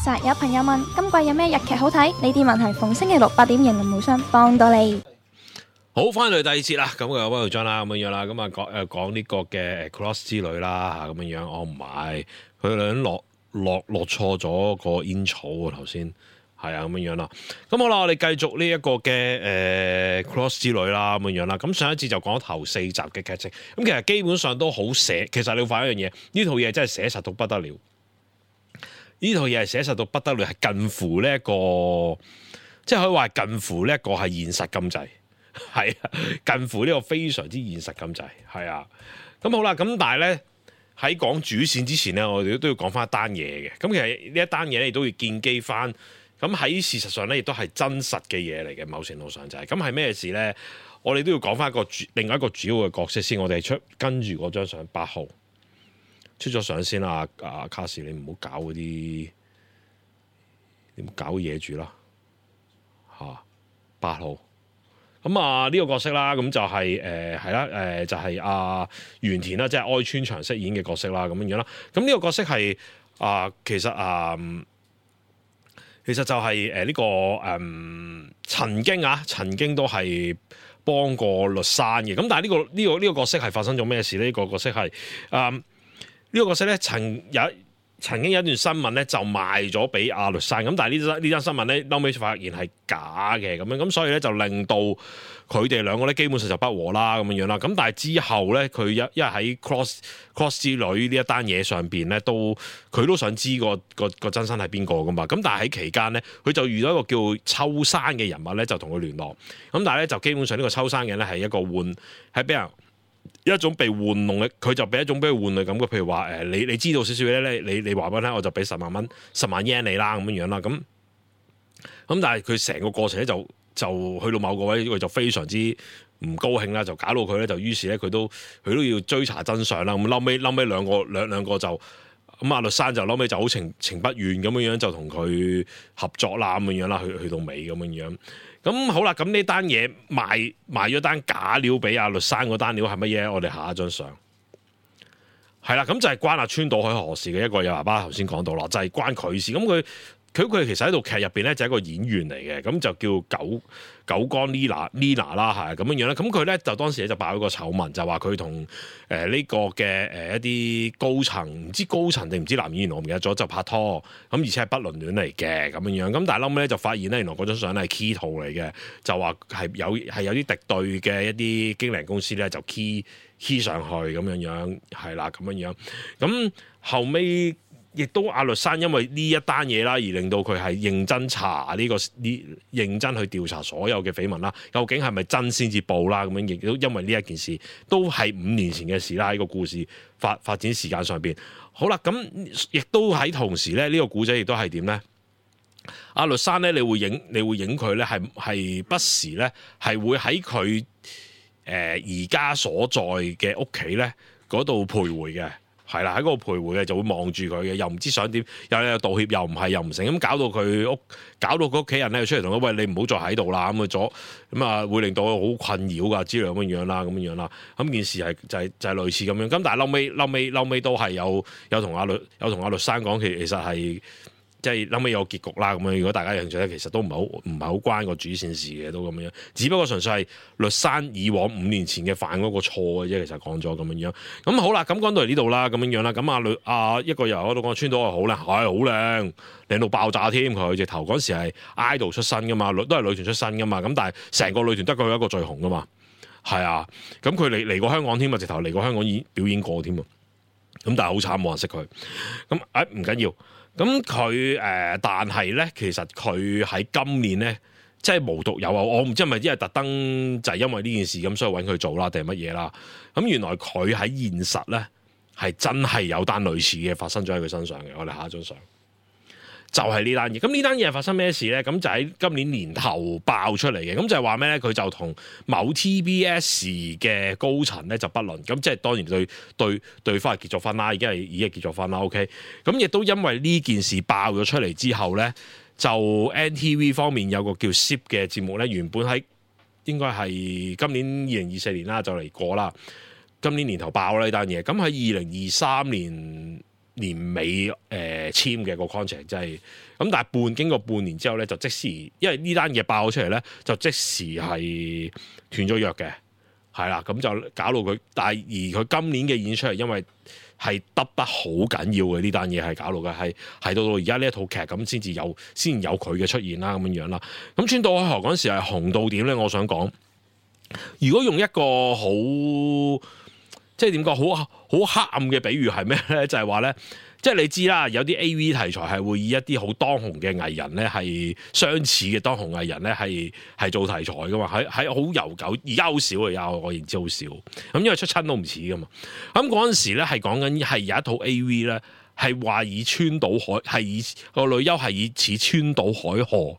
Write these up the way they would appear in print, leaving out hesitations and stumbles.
實有朋友問今季有咩日劇好睇？呢啲問題逢星期六8點迎林無雙幫到你。好，翻嚟第二節啦，咁啊溫耀章啦，咁樣啦，咁啊講呢個嘅 Cross 之旅啦嚇，咁樣樣，我唔係佢兩落錯咗個煙草喎頭先，係啊咁樣樣啦。咁好啦，我哋繼續呢一個嘅Cross 之旅啦，咁樣樣啦。咁上一節就講咗頭4集嘅劇情，咁其實基本上都好寫。其實你要發現一樣嘢，呢套嘢真係寫實到不得了。呢套嘢係寫實到不得了，係近乎呢一個，即係可以話近乎呢一個係現實咁滯。係啊，近乎呢個非常之現實咁滯，係啊。咁好啦，咁但係咧喺講主線之前咧，我哋都要講翻一單嘢嘅。咁其實呢一單嘢咧，亦都要建基翻。咁喺事實上咧，亦都係真實嘅嘢嚟嘅。某程度上就係咁，係咩事咧？我哋都要講翻另外一個主要嘅角色先。我哋跟住嗰張相8號出咗相先啦。卡士，你唔好搞嗰啲，你唔好搞嘢住啦嚇。8號。咁啊呢個角色啦，咁就係係啦，就係阿原田啦，即係哀川翔飾演嘅角色啦，咁樣樣啦。咁呢個角色係其實就係呢個曾經都係幫過栗山嘅。咁但係呢個角色係發生咗咩事呢？呢個角色係呢個角色咧曾經有一段新聞咧就賣咗俾阿栗山，咁但係呢單新聞咧後尾發現係假嘅咁樣，咁所以咧就令到佢哋兩個咧基本上就不和啦咁樣樣啦。咁但係之後咧佢因為喺 Cross 之旅呢一單嘢上邊咧佢都想知個真身係邊個噶嘛。咁但係喺期間咧佢就遇到一個叫秋山嘅人物咧就同佢聯絡，咁但係咧就基本上呢個秋山嘅人咧係一個係俾人一種被玩弄嘅，佢就俾一種俾佢玩弄嘅感覺。譬如話你知道少少嘢咧，你話俾我聽，我就俾10萬yen你啦咁樣樣啦。咁但係佢成個過程咧就去到某個位，佢就非常之唔高興啦，就搞到佢咧就於是咧佢都要追查真相啦。咁後尾兩個就咁阿栗山就後尾就好情不願咁樣樣就同佢合作啦咁樣樣啦，去到尾咁樣樣。咁好啦，咁呢單嘢賣咗單假料俾阿栗山嗰單料係乜嘢？我哋下一張相係啦，咁就係關阿川島海何事嘅一個有爸爸頭先講到啦，就係關佢事。咁佢其實喺套劇入邊咧就係一個演員嚟嘅，咁就叫久江 Lina 啦，係咁樣樣啦。咁佢咧就當時咧就爆咗個醜聞，就話佢同呢個嘅一啲高層，唔知高層定唔知男演員我唔記得咗，就拍拖，咁而且係不倫戀嚟嘅咁樣樣。咁但係後尾咧就發現咧，原來嗰張相咧係 key 圖嚟嘅，就話係有啲敵對嘅一啲經理人公司咧就 key 上去咁樣樣，係啦咁樣樣。咁後尾亦都阿栗山因為呢一單嘢啦，而令到佢係認真查認真去調查所有嘅緋聞啦，究竟係咪真先至報啦？咁樣亦都因為呢一件事，都係5年前嘅事啦。喺個故事發展時間上邊，好啦，咁亦都喺同時咧，呢個古仔亦都係點咧？阿栗山咧，你會影佢咧，係不時咧，係會喺佢而家所在嘅屋企咧嗰度徘徊嘅。係啦，喺嗰度徘徊嘅就會望住佢嘅，又唔知想點，又道歉，又唔係又唔成，咁搞到佢屋企人咧出嚟同佢，喂，你唔好再喺度啦，咁啊會令到佢好困擾噶之類咁樣啦，咁件事係就係類似咁樣，咁但係後尾都係有同阿栗山講，其實係。即係後尾有結局啦咁樣，如果大家有興趣咧，其實都唔係好關個主線事嘅，都咁樣。只不過純粹係栗山以往5年前嘅犯嗰個錯嘅啫，其實講咗咁樣。咁好啦，咁講到嚟呢度啦，咁樣啦。咁一個由嗰度講川島係好靚，係好靚，靚到爆炸添。佢直頭嗰時係 idol 出身噶嘛，都係女團出身噶嘛。咁但係成個女團得佢一個最紅噶嘛，係啊。咁佢嚟過香港添啊，直頭嚟過香港表演過添啊。咁但係好慘，冇人識佢。咁唔緊要。咁佢但係咧，其實佢喺今年咧，即係無獨有偶，我唔知係咪因為特登就係因為呢件事咁，所以揾佢做啦，定係乜嘢啦？咁原來佢喺現實咧係真係有單類似嘅發生咗喺佢身上嘅。我哋下一張相就係呢單嘢。咁呢單嘢係發生咩事咧？咁就喺今年年頭爆出嚟嘅。咁就係話咩咧？佢就同某 TBS 嘅高層咧就不倫。咁即係當然對方係結咗婚啦，已經係結咗婚啦。OK。咁亦都因為呢件事爆咗出嚟之後咧，就 NTV 方面有個叫 SIP 嘅節目咧，原本喺應該係今年2024年啦就嚟過啦。今年年頭爆啦呢單嘢。咁喺2023年年尾簽嘅個 contract， 即係咁，但係經過半年之後咧，就即時因為呢單嘢爆咗出嚟咧，就即時係斷咗約嘅，係啦，咁就搞到佢，但係而佢今年嘅演出係因為係得好緊要嘅，呢單嘢係搞到嘅，係到而家呢一套劇咁先有佢嘅出現啦，咁樣樣啦。咁川島海荷嗰陣時係紅到點咧？我想講，如果用一個好即係點講好黑暗嘅比喻係咩咧？就係話咧，即係你知啦，有啲 AV 題材係會以一啲好當紅嘅藝人咧，係相似嘅當紅藝人咧，係做題材噶嘛，係好悠久，而家好少啊，我認知好少。咁因為出親都唔似噶嘛。咁嗰陣時咧係講緊係有一套 AV 咧，係話以川島海係以個女優係以似川島海荷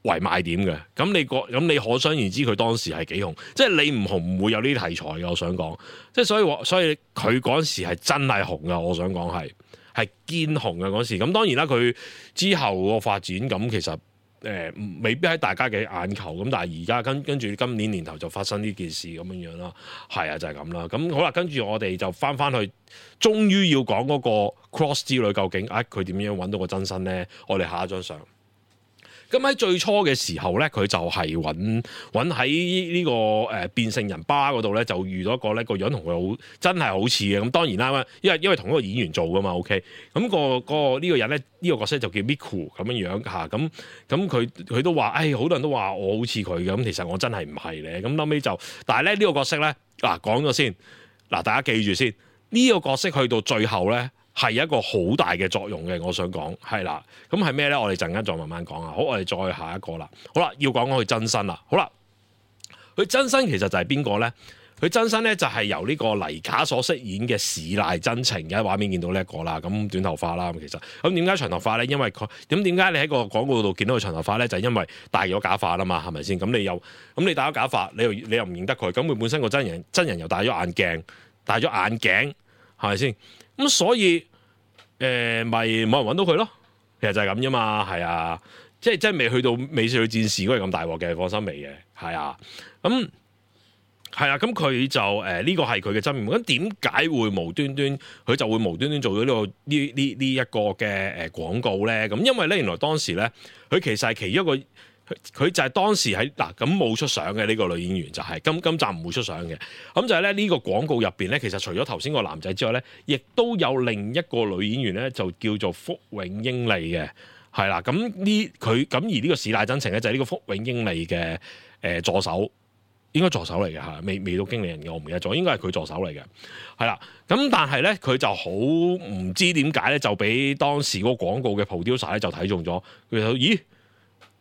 為賣點嘅，咁你可想而知佢當時係幾紅，即係你唔紅唔會有呢啲題材嘅。我想講，即係所以佢嗰時係真係紅噶。我想講係堅紅嘅嗰時。咁當然啦，佢之後個發展咁其實未必喺大家嘅眼球。咁但係而家跟住今年年頭就發生呢件事咁樣樣啦。係啊，就係咁啦。咁好啦，跟住我哋就翻去，終於要講嗰個 Cross 之旅究竟佢點樣揾到個真身咧？我哋下一張相。咁喺最初嘅時候咧，佢就係揾喺呢個變性人巴嗰度咧，就遇到一個咧個樣同佢真係好似嘅。咁當然啦，因為同一個演員做噶嘛 ，OK。咁呢個人咧，呢個角色就叫 Miku 咁樣嚇。咁佢都話，好多人都話我好似佢嘅。咁其實我真係唔係咧。咁後尾就，但係咧呢個角色咧，講咗先，大家記住先，呢個角色去到最後咧，係一個好大嘅作用嘅，我想講係啦。咁係咩咧？我哋陣間再慢慢講啊。好，我哋再下一個啦。好啦，要講佢真身啦。好啦，佢真身其實就係邊個咧？佢真身咧就係由呢個黎卡所飾演嘅矢瀨真情嘅畫面見到呢一個啦。咁短頭髮啦，其實咁點解長頭髮咧？因為佢點解你喺個廣告度見到佢長頭髮咧？就係因為戴咗假髮啦嘛，係咪先？咁你戴咗假髮，你又唔認得佢。咁佢本身個真人又戴咗眼鏡，係咪先？咁所以咪冇人揾到佢咯。其實就係咁啫嘛，係啊，即係未去到美少女戰士嗰個咁大鑊嘅，放心未嘅，係啊，咁係啊，咁佢就呢個係佢嘅真面目。咁點解會無端端佢就會無端端做咗呢一個嘅廣告咧？咁因為咧原來當時咧佢其實係其中一個。佢就係當時喺咁冇出相嘅呢個女演員就係今集唔會出相嘅。咁就係咧呢個廣告入邊咧，其實除咗頭先個男仔之外咧，亦都有另一個女演員咧，就叫做福永英利嘅，係啦。咁而呢個矢瀨真情咧就係呢個福永英利嘅助手，應該助手嚟嘅嚇，未到經理人嘅，我唔記得咗，應該係佢助手嚟嘅，係啦。咁但係咧佢就好唔知點解咧，就俾當時嗰個廣告嘅 producer 咧就睇中咗，佢就咦？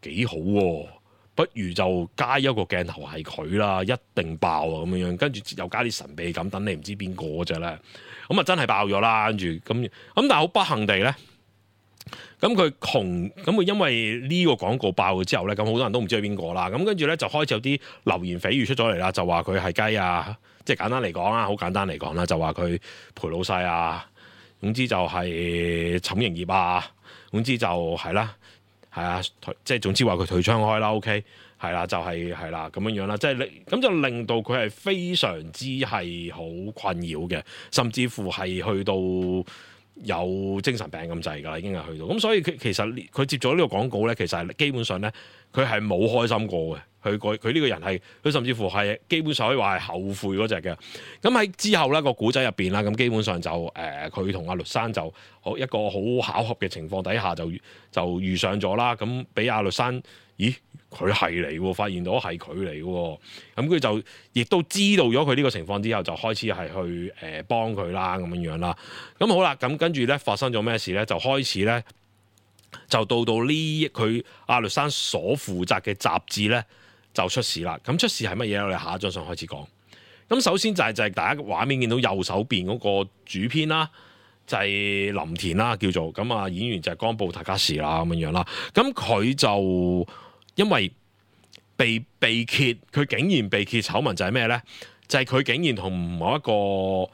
幾好喎，不如就加一個鏡頭係佢啦，一定爆啊咁樣，跟住又加啲神秘感，等你唔知邊個嗰隻咧，咁啊真係爆咗啦，跟住咁但係好不幸地咧，咁佢因為呢個廣告爆咗之後咧，咁好多人都唔知係邊個啦，咁跟住咧就開始有啲流言蜚語出咗嚟啦，就話佢係雞啊，即係簡單嚟講啊，好簡單嚟講啦，就話佢陪老細啊，總之就係寢營業啊，總之就係啦。係啊，即係總之話佢退窗開啦 ，OK， 係啦，就係啦咁樣樣啦，即係咁就令到佢係非常之係好困擾嘅，甚至乎係去到有精神病咁滯㗎啦，已經係去到。咁所以其實佢接咗呢個廣告咧，其實係基本上咧，佢係冇開心過嘅。佢呢個人係，佢甚至乎係基本上可以話係後悔嗰隻嘅。咁喺之後咧個古仔入邊啦，咁基本上就佢同阿律山就一個好巧合嘅情況底下就遇上咗啦。咁俾阿律山，咦佢係嚟喎，發現到係佢嚟喎。咁佢就亦都知道咗佢呢個情況之後，就開始係去幫佢啦咁樣樣啦。咁好啦，咁跟住咧發生咗咩事咧？就開始咧就到呢佢阿律山所負責嘅雜誌咧。就出事啦！咁出事係乜嘢？我哋下一張相開始講。咁首先就係大家畫面見到右手邊嗰個主編啦，就係林田啦，叫做咁啊。演員就係岡部泰嘉士啦，咁樣樣啦。咁佢就因為被揭，佢竟然被揭醜聞就係咩咧？就係佢竟然同某一個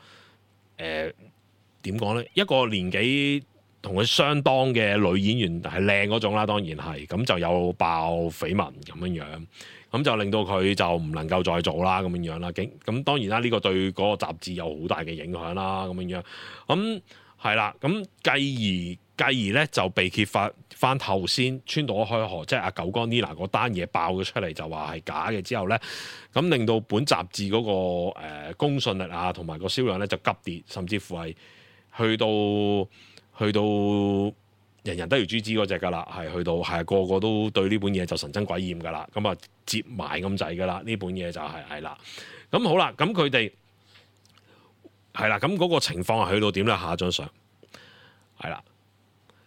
點講咧？一個年紀同佢相當嘅女演員係靚嗰種啦，當然係咁就有爆緋聞咁樣樣。咁就令到佢就唔能夠再做啦，咁樣樣啦。咁當然啦，呢個對嗰個雜誌有好大嘅影響啦，咁樣樣。咁係啦，咁繼而咧就被揭發翻頭先川島開河，即係阿九江 Nina 嗰單嘢爆咗出嚟，就話係假嘅之後咧，咁令到本雜誌嗰個公信力啊，同埋個銷量咧就急跌，甚至乎係去到人人都要誅之嗰隻㗎啦，係去到係個個都對呢本嘢就神憎鬼厭㗎啦，咁啊接埋咁滯㗎啦，呢本嘢就係啦，咁好啦，咁佢哋係啦，咁嗰個情況係去到點咧？下一張相係啦。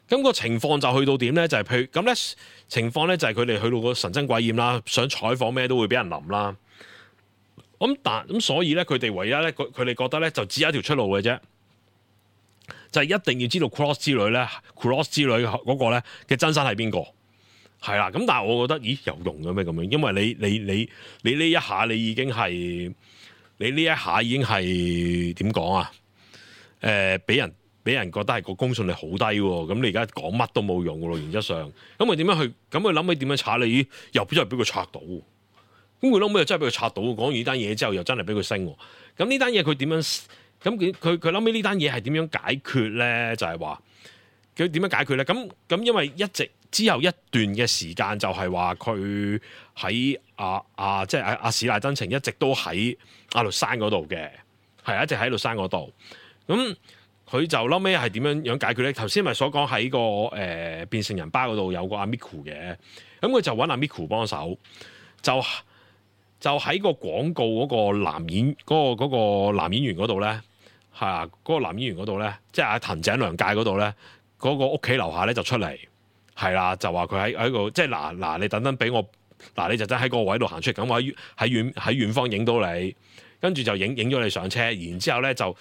咁個情況就去到點咧？就係譬如咁咧，情況咧就係佢哋去到個神憎鬼厭啦，想採訪咩都會俾人淋啦。咁所以咧，佢哋唯一咧，佢哋覺得咧就只有一條出路嘅啫，就係一定要知道 Cross 之旅嗰個咧嘅真身係邊個？係啦。咁但係我覺得，咦有用嘅咩咁樣？因為你呢一下你已經係點講啊？俾人覺得係個公信力好低喎，咁你而家講乜都冇用嘅咯，原則上，咁佢點樣去？咁佢諗起點樣查你？又真係俾佢拆到，咁佢諗起又真係俾佢拆到。講完呢單嘢之後，又真係俾佢升。咁呢單嘢佢點樣？咁佢諗起呢單嘢係點樣解決咧？就係話佢點樣解決咧？咁因為一直之後一段嘅時間就係話佢喺即係阿史賴真情一直都喺阿律山嗰度嘅，係一直喺律山嗰度咁。佢就嬲尾係點樣解決咧？頭先咪所講喺個變成人吧嗰度有個阿 Miku 嘅，咁佢就揾阿 Miku 幫手，就喺個廣告嗰個男演員嗰度咧，係啊，嗰個男演員嗰度咧，即係阿藤井良介嗰度咧，嗰個屋企樓下咧就出嚟，係啦，就話佢喺個即係嗱，你等等俾我，你就真喺個位度行出嚟，咁我喺遠方影到你，跟住就影咗你上車，然之後咧就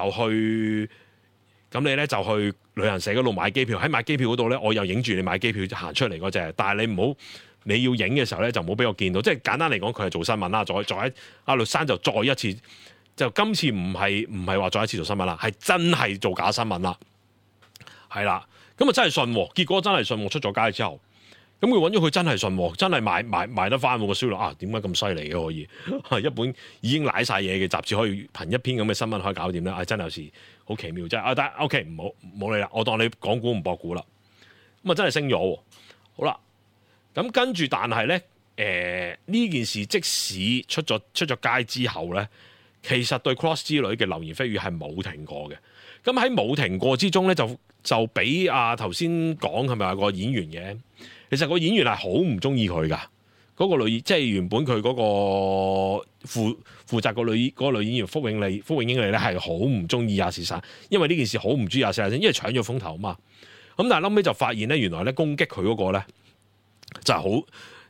去。咁你咧就去旅行社嗰度買機票，喺買機票嗰度咧，我又影住你買機票行出嚟嗰隻。但係你要影嘅時候咧，就唔好俾我見到。即係簡單嚟講，佢係做新聞啦。再喺阿律山就再一次，就今次唔係話再一次做新聞啦，係真係做假新聞啦。係啦，咁啊真係信，結果真係信，出咗街之後，咁佢揾咗佢真係信，真係賣得翻個銷量啊！點解咁犀利嘅可以？一本已經瀨晒嘢嘅雜誌，可以憑一篇咁嘅新聞可以搞掂咧？真係有時好奇妙，真係但係 OK， 唔好理啦，我當你講股唔博股啦。咁啊真係升咗，好啦。咁跟住，但係咧，呢件事即使出咗街之後咧，其實對 Cross 之旅嘅流言蜚語係冇停過嘅。咁喺冇停過之中咧，就俾頭先講係咪話個演員嘅？其實個演員係好唔中意佢噶，嗰個女即係原本佢嗰個負責嗰個女演員福永英利咧係好唔中意阿史山，因為呢件事好唔中意阿史山，因為搶咗風頭啊嘛。咁但係後尾就發現咧，原來咧攻擊佢嗰個咧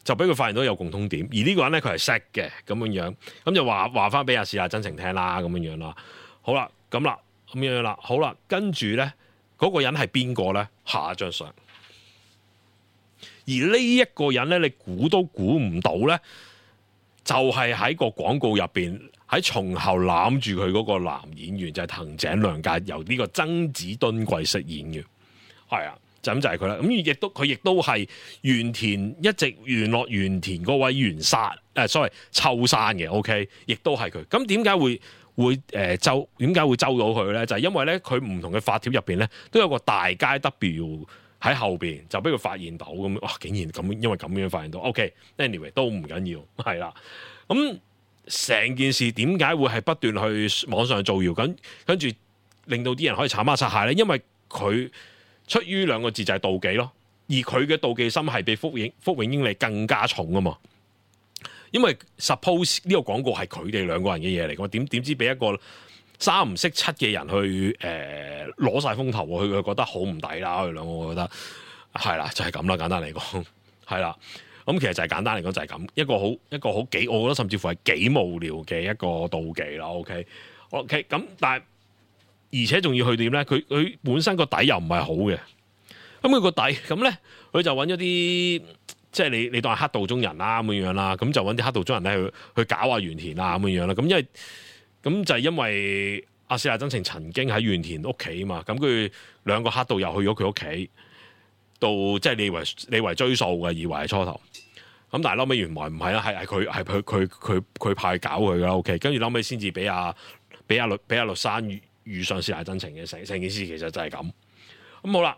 就俾佢發現到有共通點，而呢個人咧佢係識嘅咁樣，咁就話翻俾阿史真情聽啦，咁樣啦。好啦，咁樣啦，好啦，跟住咧嗰個人係邊個咧？下一張相。而呢一個人咧，你估都估唔到咧，就係喺個廣告入邊喺從後攬住佢嗰個男演員，就係藤井亮介，由呢個曾子敦貴飾演嘅，係啊，就咁就係佢啦。咁佢亦都係原田一直聯絡原田嗰位原山秋山嘅 ，OK， 亦都係佢。咁點解會周到佢咧？就係因為咧，佢唔同嘅發帖入邊咧，都有個大街 W。喺後邊就俾佢發現到咁，哇！竟然咁，因為咁樣發現到 ，OK，anyway 都唔緊要，係啦。咁成件事點解會係不斷去網上造謠，跟住令到啲人可以炒孖擦鞋咧？因為佢出於兩個字就係妒忌咯，而佢嘅妒忌心係比福永英利更加重啊嘛。因為 suppose 呢個廣告係佢哋兩個人嘅嘢嚟，我點知俾一個三唔識七嘅人去攞晒風頭，佢覺得好唔抵啦。佢兩個我覺得係啦，就係咁啦。簡單嚟講係啦，咁其實就係簡單嚟講就係咁一個好幾，我覺得甚至乎係幾無聊嘅一個妒忌啦。OK 咁，但係而且仲要去點咧？佢本身個底又唔係好嘅，咁佢個底咁咧，佢就揾咗啲即係你當係黑道中人啦咁樣啦，咁就揾啲黑道中人咧去搞下原田啊咁樣啦。咁就係因為阿史賴真情曾經喺原田屋企啊嘛，咁佢兩個黑道又去咗佢屋企，到即係你為追數嘅，以為係初頭，咁但係後尾原來唔係啦，係佢派搞佢噶啦 ，OK， 跟住後尾先至俾阿律山遇上是賴真情嘅，成件事其實就係咁。咁好啦，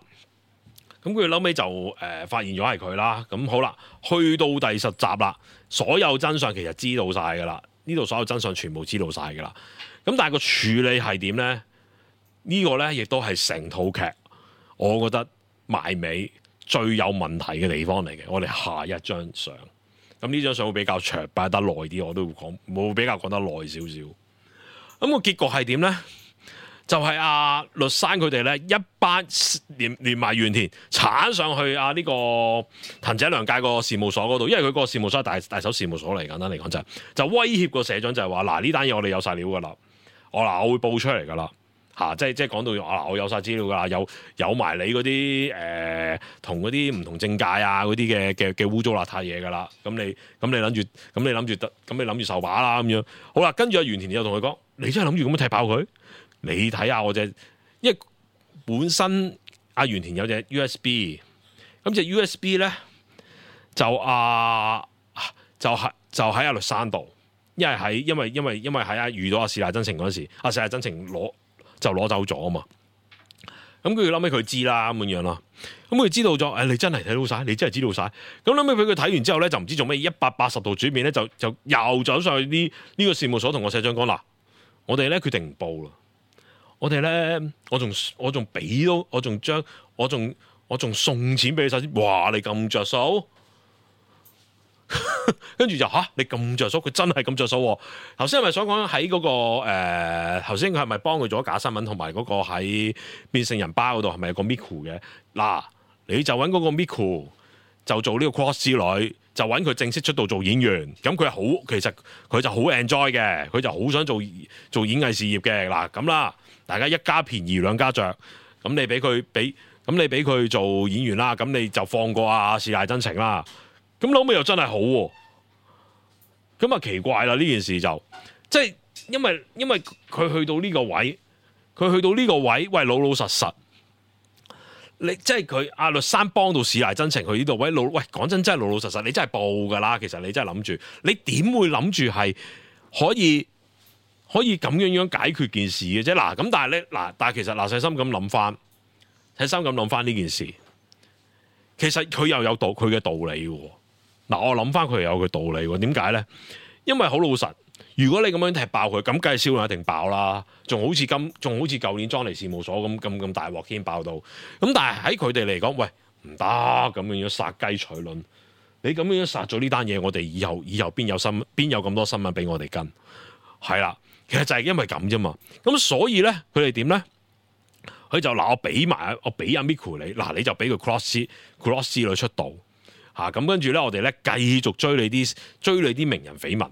咁佢後尾就發現咗係佢啦。咁好啦，去到第10集啦，所有真相其實知道晒㗎啦。呢度所有真相全部知道晒㗎啦。咁但係個處理係點咧？呢個咧亦都係成套劇，我覺得埋尾最有問題嘅地方嚟嘅。我哋下一張相，咁呢張相會比較長，擺得耐啲，我都會講，會比較講得耐少少。咁個結局係點咧？就係阿律山佢哋咧一班連埋原田鏟上去呢個藤井亮介個事務所嗰度，因為佢個事務所係大手事務所嚟，簡單嚟講就威脅個社長就係話嗱，呢單嘢我哋有晒料噶啦，我會報出嚟噶啦即係講到我有晒資料噶啦，有埋你嗰啲同嗰啲唔同政界嗰啲嘅污糟邋遢嘢噶啦，咁你諗住受把啦咁樣。好啦，跟住阿原田又同佢講，你真係諗住咁樣踢爆佢？你睇下我隻，因為本身阿原田有隻 USB， 咁隻 USB 咧就喺阿律山度，因為喺遇到阿是賴真情嗰陣時，阿是賴真情攞走咗啊嘛。咁佢諗起佢知啦咁樣啦，咁佢知道咗，你真係睇到晒，你真係知道晒。咁諗起俾佢睇完之後咧，就唔知做咩180度轉變咧，就又走上去呢個事務所同個社長講嗱，我哋咧決定唔報啦。我哋咧，我仲俾到，我仲送錢俾你晒先。哇！你咁着數，跟住就你咁着數，佢真係咁着數。頭先係咪想講喺嗰個頭先佢係咪幫佢做咗假新聞，同埋嗰個喺變性人巴嗰度係咪有個 Miku 嘅？嗱，你就揾嗰個 Miku 就做呢個 cross 之旅，就揾佢正式出道做演員。咁其實佢就好 enjoy 嘅，佢就好想做演藝事業嘅。嗱咁啦。大家一家便宜兩家着，咁你俾佢做演員啦，咁你就放過是賴真情啦。咁後尾又真係好喎，咁奇怪啦呢件事就即係因為佢去到呢個位，喂老實，你即係佢阿律山幫到是賴真情去呢度位喂講真係老實，你真係報㗎啦。其實你真係諗住，你點會諗住係可以咁樣解決件事嘅啫。咁但係其實細心咁諗翻呢件事，其實佢又有佢嘅道理喎。我諗翻佢又有佢道理喎。點解咧？因為好老實，如果你咁樣踢爆佢，咁梗係銷量一定爆啦。仲好似舊年莊尼事務所咁大鑊添爆到。咁但係喺佢哋嚟講，喂唔得咁樣殺雞取卵。你咁樣殺咗呢單嘢，我哋以後邊有咁多新聞俾我哋跟？係啦。其實就係因為咁啫嘛，咁所以咧，佢哋點咧？佢就我俾阿 Miku 你，你就俾佢 cross 之旅出道咁跟住咧，我哋咧繼續追你啲名人緋聞，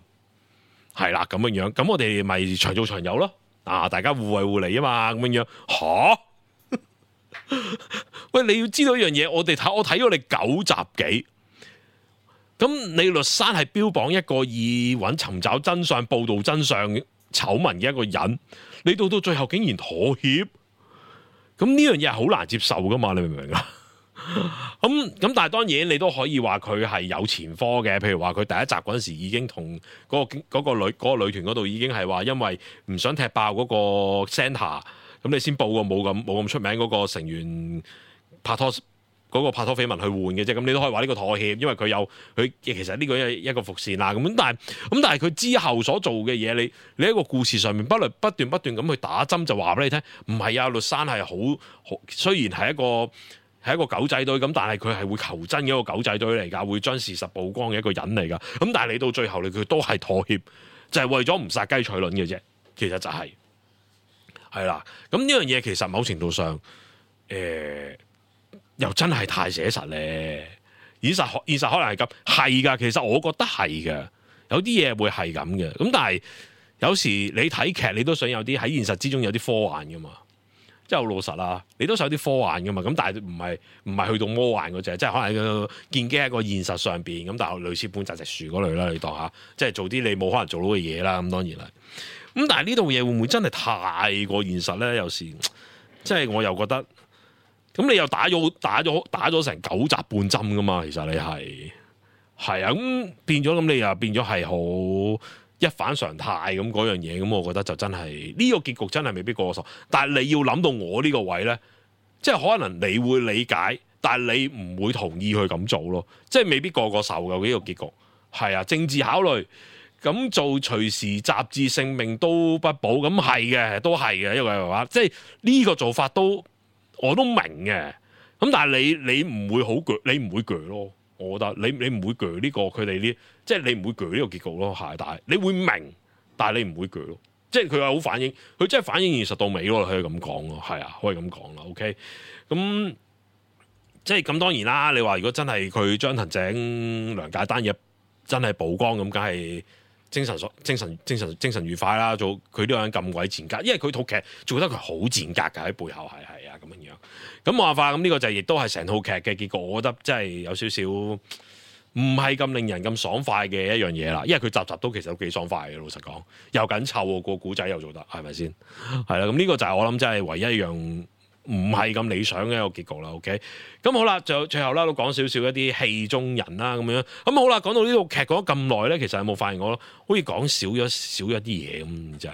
係啦咁樣，咁我哋咪長做長有咯，大家互惠互利啊嘛，咁樣喂，你要知道一樣嘢，我睇咗你9集幾，咁你律山係標榜一個以尋找真相、報導真相醜聞嘅一個人，你到最後竟然妥協，咁呢樣嘢係好難接受噶嘛？你明唔明啊？咁但係當然你都可以話佢係有前科嘅，譬如話佢第一集嗰陣時已經同嗰個女團嗰度已經係話，因為唔想踢爆嗰個 Center， 咁你先報個冇咁出名嗰個成員拍拖。嗰個拍拖緋聞去換嘅啫，咁你都可以話呢個妥協，因為佢其實呢個一個伏線啦。咁但係佢之後所做嘅嘢，你喺個故事上面不斷咁去打針，就話俾你聽，唔係啊，律山係好，雖然係一個狗仔隊咁，但係佢係會求真嘅一個狗仔隊嚟㗎，會將事實曝光嘅一個人嚟㗎。咁但係你到最後佢都係妥協，就係為咗唔殺雞取卵嘅啫。其實就係啦。咁呢樣嘢其實某程度上，又真係太寫實咧，現實可能係咁，係噶。其實我覺得係嘅，有啲嘢會係咁嘅。咁但係有時你睇劇，你都想有啲喺現實之中有啲科幻噶嘛，即係好老實啦。你都想有啲科幻噶嘛。咁但係唔係去到魔幻嗰隻，即係可能建基喺個現實上邊。咁但係類似半澤直樹嗰類啦，你當下即係做啲你冇可能做到嘅嘢啦。咁當然係。咁但係呢度嘢會唔會真係太過現實咧？有時即係我又覺得。咁你又打咗成9集半針噶嘛？其實你係啊，咁變咗，咁你又變咗係好一反常態咁嗰樣嘢，咁我覺得就真係呢個結局真係未必過受。但係你要諗到我呢個位咧，即係可能你會理解，但係你唔會同意去咁做咯，即係未必個受嘅呢個結局。係啊，政治考慮。咁做隨時雜誌性命都不保，咁係嘅，都係嘅，因為話即係呢個做法我都明嘅。咁但係你唔會好鋸，你唔會鋸咯。我覺得你唔會鋸呢個佢哋呢，即係你唔會鋸呢個結局咯。係，但係你會明，但係你唔會鋸咯。即係佢係好反映，佢真係反映現實到尾咯。可以咁講咯，係啊，可以咁講啦。OK，咁即係咁當然啦。你話如果真係佢張騰井梁介單嘢真係曝光咁，梗係。精神愉快啦，做佢呢個人咁鬼賤格，因為佢套劇做得佢好賤格㗎，喺背後係啊咁樣。咁冇辦法，咁呢個就亦都係成套劇嘅結果。我覺得真係有少少唔係咁令人咁爽快嘅一樣嘢啦。因為佢集集都其實都幾爽快嘅，老實講又緊湊喎，個古仔又做得係咪先？係啦，咁呢個就係我諗真係唯一一樣。唔係咁理想嘅一個結局啦 ，OK， 咁好啦，就最後啦都講少少一啲戲中人啦咁樣，咁好啦，講到呢套劇講咗咁耐咧，其實有冇發現我好似講少咗啲嘢咁，就係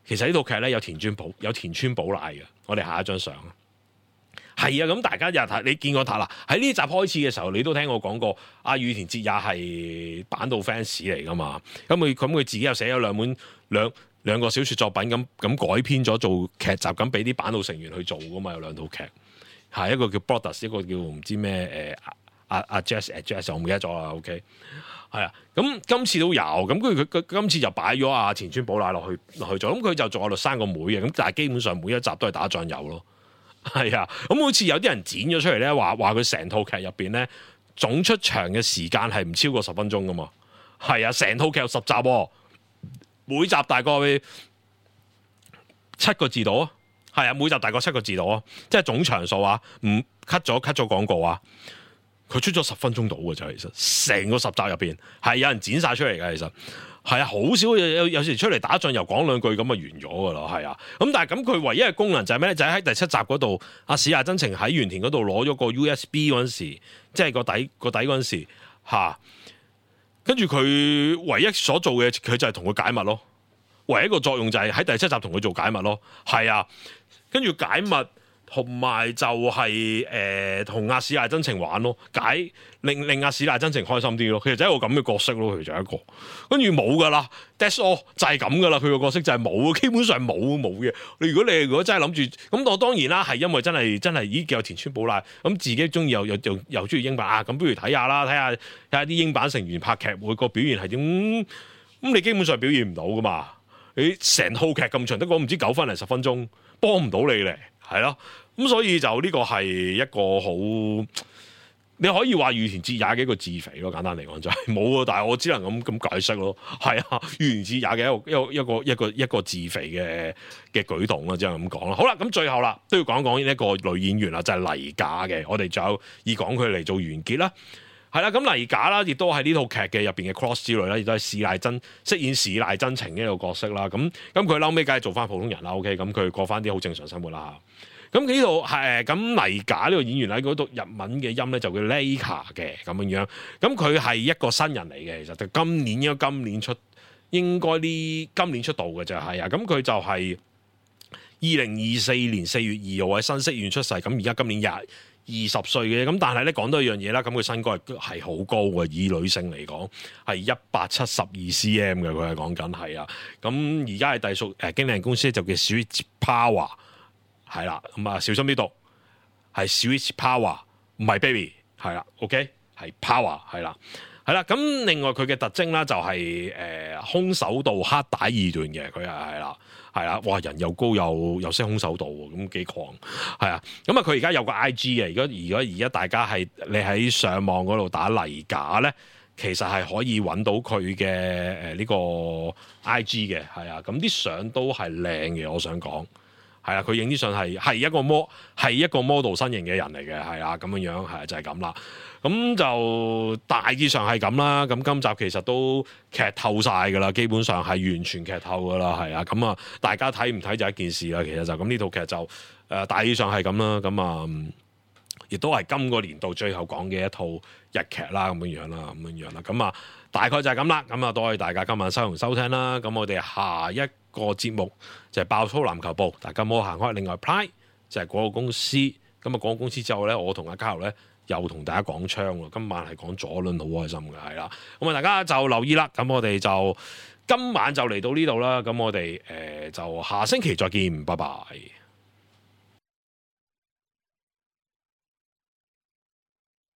其實呢套劇咧有田村寶乃嘅，我哋下一張相係啊，咁大家日睇你見過啦，喺呢集開始嘅時候，你都聽我講過，阿羽田哲也係坂道 fans 嚟噶嘛，咁佢自己又寫咗兩個小説作品咁改編咗做劇集，咁俾啲坂道成員去做噶嘛，有兩套劇，係一個叫 Brothers， 一個叫唔知咩阿 Jazz， 我唔記得咗啦。OK， 係啊，咁今次都有，咁佢今次就擺咗阿田村寶乃落去做，咁佢就做阿律生個妹嘅，咁但係基本上每一集都係打醬油咯，係啊，咁好似有啲人剪咗出嚟咧，話佢成套劇入邊咧總出場嘅時間係唔超過10分鐘噶嘛，係啊，成套劇有10集喎。每集大概7個字到啊，係啊，每集大概7個字到啊，即係總場數啊，唔 cut 咗廣告啊，佢出咗10分鐘到嘅就其實成個10集入邊係有人剪晒出嚟嘅，其實係啊，好少有時出嚟打醬油講兩句咁就完咗噶啦，係啊，咁但係咁佢唯一嘅功能就係咩咧？就係喺第7集嗰度，阿市野真情喺原田嗰度攞咗個 USB 嗰陣時，即係個底嗰陣時嚇。跟住佢唯一所做嘅，佢就係同佢解密咯。唯一一個作用就係喺第7集同佢做解密咯。係啊，跟住解密同埋就係同阿市野真情玩咯，令阿市野真情開心啲咯。其實就係一個咁嘅角色咯，佢就係一個。跟住冇噶啦 ，that's all 就係咁噶啦。佢個角色就係冇，基本上冇嘅。如果真係諗住，咁我當然啦，係因為真係咦有田村寶乃咁自己中意又中意英版啊，咁不如睇下啦，睇下啲英版成員拍劇會個表現係點。咁你基本上表現唔到噶嘛？你成套劇咁長，得個唔知9分零10分鐘，幫唔到你咧，係咯。咁所以就呢個係一個好，你可以話羽田哲也嘅一個自肥咯，簡單嚟講就係冇啊，但係我只能咁解釋咯，係啊，羽田哲也嘅一個自肥嘅舉動啦，只能咁講啦。好啦，咁最後啦都要講講一個女演員啦，就係黎賈嘅，我哋仲有以講佢嚟做完結啦。係啦，咁黎賈啦，亦都係呢套劇嘅入邊嘅 cross 之類啦，亦都係飾演市瀨真情嘅一個角色啦。咁佢後尾梗係做翻普通人啦。OK， 咁佢過翻啲好正常生活啦。咁呢度係咁黎賈呢個演員喺嗰度日文嘅音咧就叫 Leika 嘅咁樣。咁佢係一個新人嚟嘅，其實就今年應該今年出道嘅就係啊。咁佢就係2024年4月2號喺新潟縣出世。咁而家今年20歲嘅，咁但係咧講多一樣嘢啦，咁佢身高係好高嘅，以女性嚟講係172cm 嘅，佢係講緊係啊。咁而家係隸屬經理人公司就叫 Switch Power， 係啦，咁啊小心啲讀，係 Switch Power， 唔係 baby， 係啦 ，OK， 係 Power， 係啦，係啦。咁另外佢嘅特徵啦就係空手道黑帶2段嘅，佢係啦。係啦，哇！人又高又識空手道喎，咁幾狂係啊！咁啊，佢而家有個 IG 嘅，而家大家係你喺上網嗰度打黎賈咧，其實係可以揾到佢嘅呢個 IG 嘅，係啊！咁啲相都係靚嘅，我想講係啊，佢影啲相係一個 model 身形嘅人嚟嘅，係啊，咁樣樣係就係咁啦。咁就大致上係咁啦。咁今集其實都劇透晒㗎啦，基本上係完全劇透㗎啦，係啊。咁啊，大家睇唔睇就一件事啦。其實就咁呢套劇就大致上係咁啦。咁啊，亦都係今個年度最後講嘅一套日劇啦，咁樣啦。咁啊，大概就係咁啦。咁啊，多謝大家今晚收同收聽啦。咁我哋下一個節目就係爆粗籃球部，大家唔好行開。另外 Pride 就係廣告公司。咁啊，廣告公司之後咧，我同阿嘉豪咧又同大家講槍喎。今晚係講左輪，好開心嘅，係啦。咁啊，大家就留意啦。咁我哋就今晚就嚟到呢度啦。咁我哋就下星期再見，拜拜。